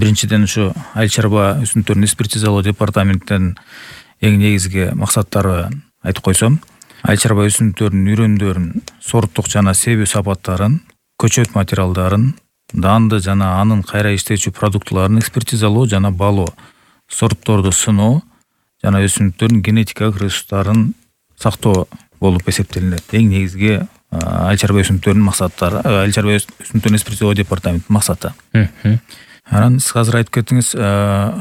Биринчиден ушу айыл чарба өсүмдүктөрүн экспертизалоо департаментинин эң негизги максаттары айтып койсом, айыл чарба өсүмдүктөрүнүн үрөндөрүн, сорттук жана себүү сапаттарын, көчөт материалдарын, данды жана анын кайра иштечү продуктыларын экспертизалоо жана баалоо, сортторду сыноо жана өсүмдүктөрдүн генетикалык ресурстарын сактоо болуп эсептелинет. Эң негизги айыл чарба өсүмдүктөрүнүн максаттары, айыл чарба өсүмдүктөрүн экспертизалоо департаментинин максаты. Анан сиз азыр айтып кеттиңиз,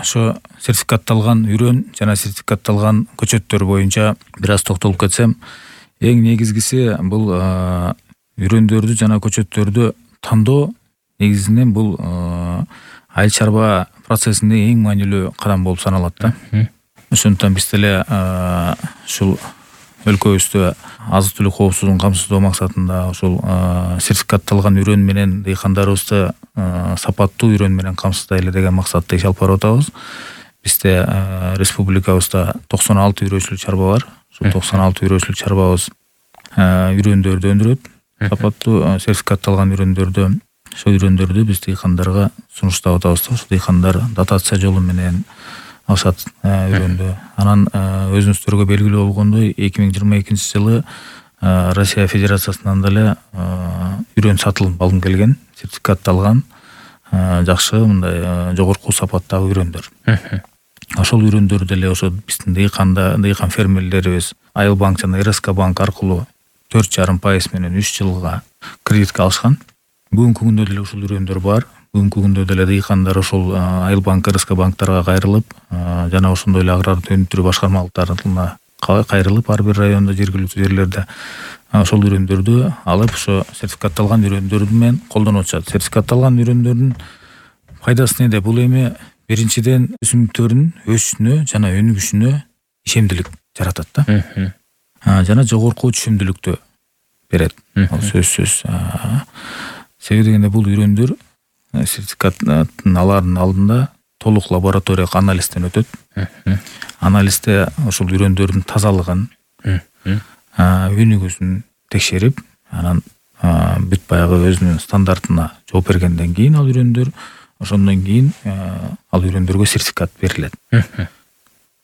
ошо сертификатталган үрөн жана сертификатталган көчөттөр боюнча бир аз токтолуп кетсем, эң негизгиси бул үрөндөрдү жана көчөттөрдү тандоо негизинен бул айыл чарба процессинде эң маанилүү кадам болуп саналат да. Ошондуктан биз деле ушул өлкөбүздө азык-түлүк коопсуздугун камсыздоо максатында ушул сертификатталган үрөн менен дыйкандарыбызды сапаттуу үрөн менен камсыздайлы деген максатта иш алып барып атабыз. Бизде республикабызда 96 үрөөчүлүк чарба бар. Ушул 96 үрөөчүлүк чарбабыз үрөндөрдү өндүрөт. Сапаттуу сертификатталган үрөндөрдү, ошол үрөндөрдү биз дыйкандарга сунуштап атабыз. Ошол дыйкандар дотация жолу менен алышат үрөндү. Анан өзүңүздөргө белгилүү болгондой 2022-жылы Россия Федерациясынан деле үрөн сатылып алынып келген, сертификатталган жакшы мындай жогорку сапаттагы үрөндөр. Ошол үрөндөр деле ошо биздин дыйкан фермерлерибиз Айыл банк жана РСК банк аркылуу 4,5% менен 3 жылга кредитке алышкан. Бүгүнкү күндө деле ушул үрөндөр бар. Бүгүнкү күндө деле дыйкандар ошол Айыл банк, РСК банктарга кайрылып, жана ошондой эле агрардык өнүктүрүү башкармалыктарына кайрылып, ар бир райондо жергиликтүү жерлерде ошол үрөндөрдү алып, ошо сертификатталган үрөндөр менен колдонуп атышат. Сертификатталган үрөндөрдүн пайдасы неде? Бул эми биринчиден өсүмдүктөрдүн өсүшүнө жана өнүгүшүнө ишемдилик жаратат да. Жана жогорку түшүмдүүлүктү берет. Ал сөзсүз. Себеби дегенде бул үрөндөр сертификатын алардын алдында толук лабораториялык анализден өтөт. Анализде ошол үрөндөрдүн тазалыгын, өнүгүүсүн текшерип, анан бүт баягы өзүнүн стандартына жооп бергенден кийин ал үрөндөр, ошондон кийин ал үрөндөргө сертификат берилет.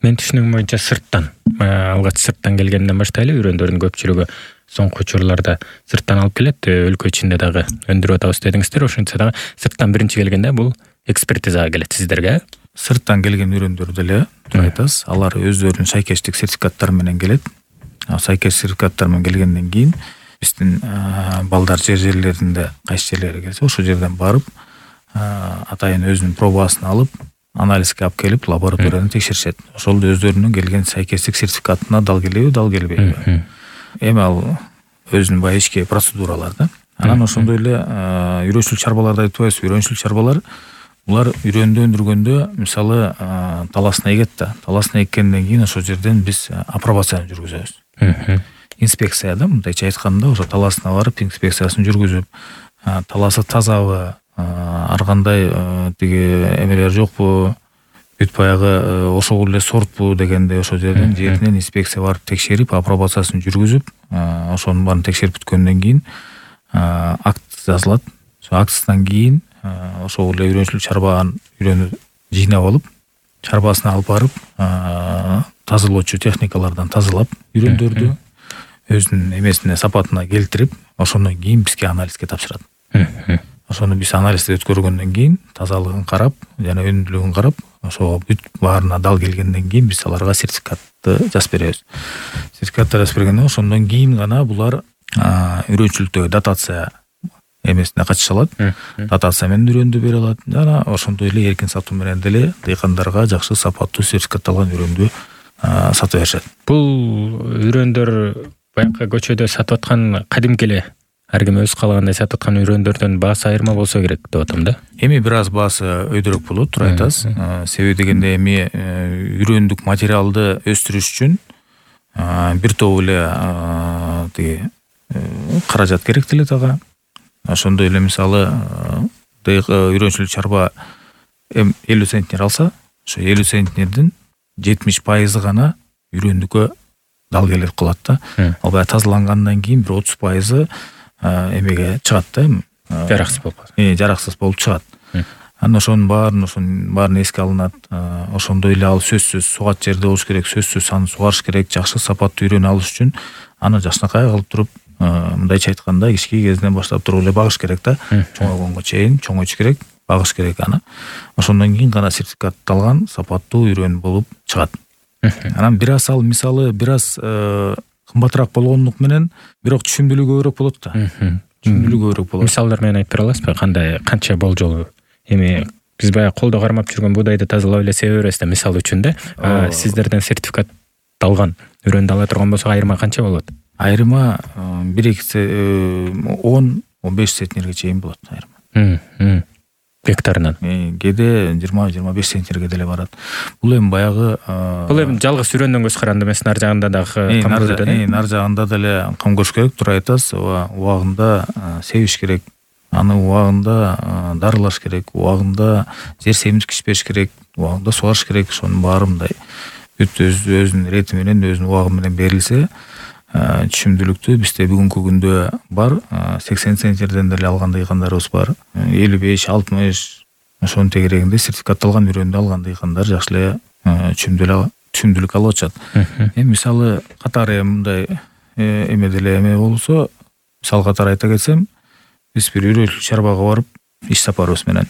Мен түшүнүгүм боюнча сырттан, алгач сырттан келгенден баштайлы үрөндөрдүн көпчүлүгү соңку учурларда сырттан алып келет, өлкө ичинде дагы өндүрүп атабыз дедиңиздер. Ошентсе дагы сырттан биринчи келгенде бул экспертизага келет сиздерге. Сырттан келген үрөндөр деле айтасыз, алар өздөрүнүн шайкештик сертификаттары менен келет. Сайкеш сертификаттар менен келгенден кийин биздин балдар жерлеринде кайсы жерлери келсе, ошол жерден барып атайын өзүнүн пробасын алып, анализге алып келип, лабораторияда текшеришет. Ошол өздөрүнүн келген сайкештик сертификатына дал келеби, дал келбейби. Эми ал өзүнүн баягы ички процедуралар да. Анан ошондой эле үрөөчүлүк чарбаларды айтып атпайбызбы? Үрөөчүлүк чарбалар булар үрөндү өндүргөндө, мисалы, таласына эгет да. Таласына эккенден кийин ошол жерден биз апробацияны жүргүзөбүз. Инспекция да, мындайча айтканда, ошо таласына барып инспекциясын жүргүзүп, таласы тазабы, ар кандай тиги эмелер жокпу, бүт баягы ошол эле сортпу дегенде ошол жерден жеринен инспекция барып текшерип, апробациясын жүргүзүп, ошонун баарын текшерип бүткөндөн кийин акт жазылат. Ошо актыдан кийин ошол эле үрөөчүлүк чарбанын үрөнү жыйнап алып, чарбасына алып барып, тазалоочу техникалардан тазалап, үрөндөрдү өзүнүн эмесине, сапатына келтирип, ошондон кийин бизге анализге тапшырат. Ошону биз анализди өткөргөндөн кийин тазалыгын карап, жана өнүмдүүлүгүн карап, ошо бүт баарына дал келгенден кийин биз аларга сертификатты жазып беребиз. Сертификатты жазып бергенде ошондон кийин гана булар үрөөчүлүктөгү дотация эмесине катыша алат. Дотация менен үрөндү бере алат. Жана ошондой эле эркин сатуу менен деле дыйкандарга жакшы сапаттуу сертификатталган үрөндү сатып беришет. Бул үрөндөр баягы көчөдө сатып аткан кадимки эле ар ким өз каалагандай сатып аткан үрөндөрдөн баасы айырма болсо керек деп атам да. Эми бир аз баасы өйдөрөөк болот, туура айтасыз. Себеби дегенде эми үрөндүк материалды өстүрүш үчүн бир топ эле тиги каражат керектелет ага. Ошондой эле мисалы үрөөчүлүк чарба 50 центнер алса, ошо 50 центнердин 70% гана үрөндүккө дал келип калат да. Ал баягы тазалангандан кийин бир 30% эмеге чыгат да. Жараксыз болуп. Жараксыз болуп чыгат. Анан ошонун баарын эске алынат. Ошондой эле ал сөзсүз сугат жерде болуш керек, сөзсүз аны сугарыш керек. Жакшы сапаттуу үйрөнүп алыш үчүн аны жакшынакай кылып туруп, мындайча айтканда кички кезинен баштап туруп эле багыш керек да. Чоңойгонго чейин чоңойтуш керек, багыш керек аны. Ошондон кийин гана сертификатталган сапаттуу үйрөнүү болуп чыгат. Анан бир аз ал мисалы бир аз кымбатыраак болгондук менен, бирок түшүмдүүлүгү көбүрөөк болот да. Түшүмдүүлүгү көбүрөөк болот. Мисалдар менен айтып бера аласызбы? Канча болжол? Эми биз баягы колдо кармап жүргөн буудайды тазалап эле себе беребиз да, мисал үчүн да. Сиздерден сертификатталган үйрөнүп ала турган болсок, айырма канча болот? Айырма 10-15 центнерге чейин болот айырма. Гектарынан. Кээде 20-25 центнерге деле барат. Бул эми баягы бул эми жалгыз үйрөндөн көз каранды эмес, нар жагында дагы кам көрөт да. Нар жагында деле кам көрүш керек, туура айтасыз. Убагында себиш керек. Аны убагында дарылаш керек, убагында жер семирткич бериш керек, убагында сугарыш керек. Ошонун баары мындай бүт өзүнүн рети менен, өзүнүн убагы менен берилсе, түшүмдүүлүктүү бизде бүгүнкү күндө бар. 80 центнерден деле алган дыйкандарыбыз бар. 55-60 ошонун тегерегинде сертификатталган үйрөнүп алган дыйкандар жакшы эле түшүмдүүлүк алып атышат. Мисалы катары мындай эме деле эме болсо, мисал катары айта кетсем, биз бир үрөчүлүк чарбага барып, иш сапарыбыз менен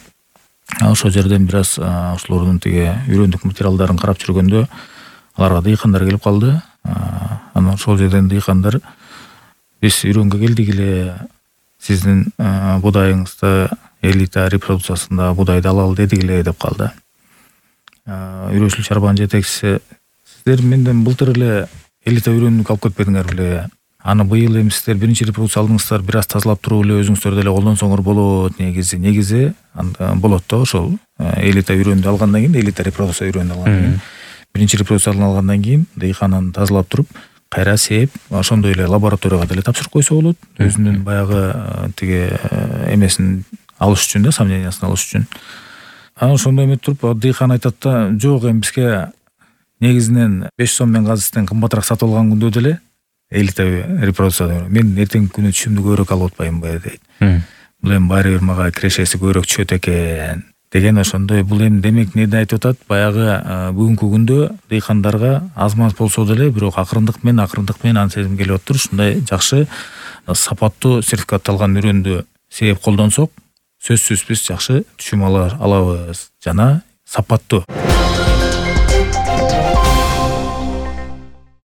ошол жерден бир аз ошолордун тиги үйрөндүк материалдарын карап жүргөндө, аларга дыйкандар келип калды. Анан ошол жерден дыйкандар биз үйрөнгө келдик эле, сиздин будайыңызды элита репродукциясында будайды алалы дедик эле деп калды. Үрөчүлүк чарбанын жетекчиси: сиздер менден былтыр эле элита үйрөнүүгө алып кетпедиңер беле? Аны быйыл эми сиздер биринчи репродукция алдыңыздар, бир аз тазалап туруп эле өзүңүздөр деле колдонсоңор болот. Негизи болот да, ошол элита үйрөнүп алгандан кийин, элита репродукция үйрөнүп алгандан кийин, биринчи репродукцияны алгандан кийин дыйкан аны тазалап туруп, кайра сээп, ошондой эле лабораторияга деле тапшырып койсо болот. Өзүнүн баягы тиги эмесин алыш үчүн да, сомнениясын алыш үчүн. Анан ошондой эметип туруп, дыйкан айтат да: жок, эми бизге негизинен 5 сом мен газеттен кымбатыраак сатып алган күндө деле элита репродукция мен эртеңки күнү түшүмдү көбүрөөк алып атпаймынбы дейт. Бул эми баары бир мага кирешеси көбүрөөк түшөт экен деген. Ошондой бул эми демек эмнени айтып атат? Баягы бүгүнкү күндө дыйкандарга аз-маз болсо деле, бирок акырындык менен аны сезим келип атыптыр. Ушундай жакшы сапаттуу сертификатталган үйрөндү сээп колдонсок, сөзсүз биз жакшы түшүм алабыз жана сапаттуу.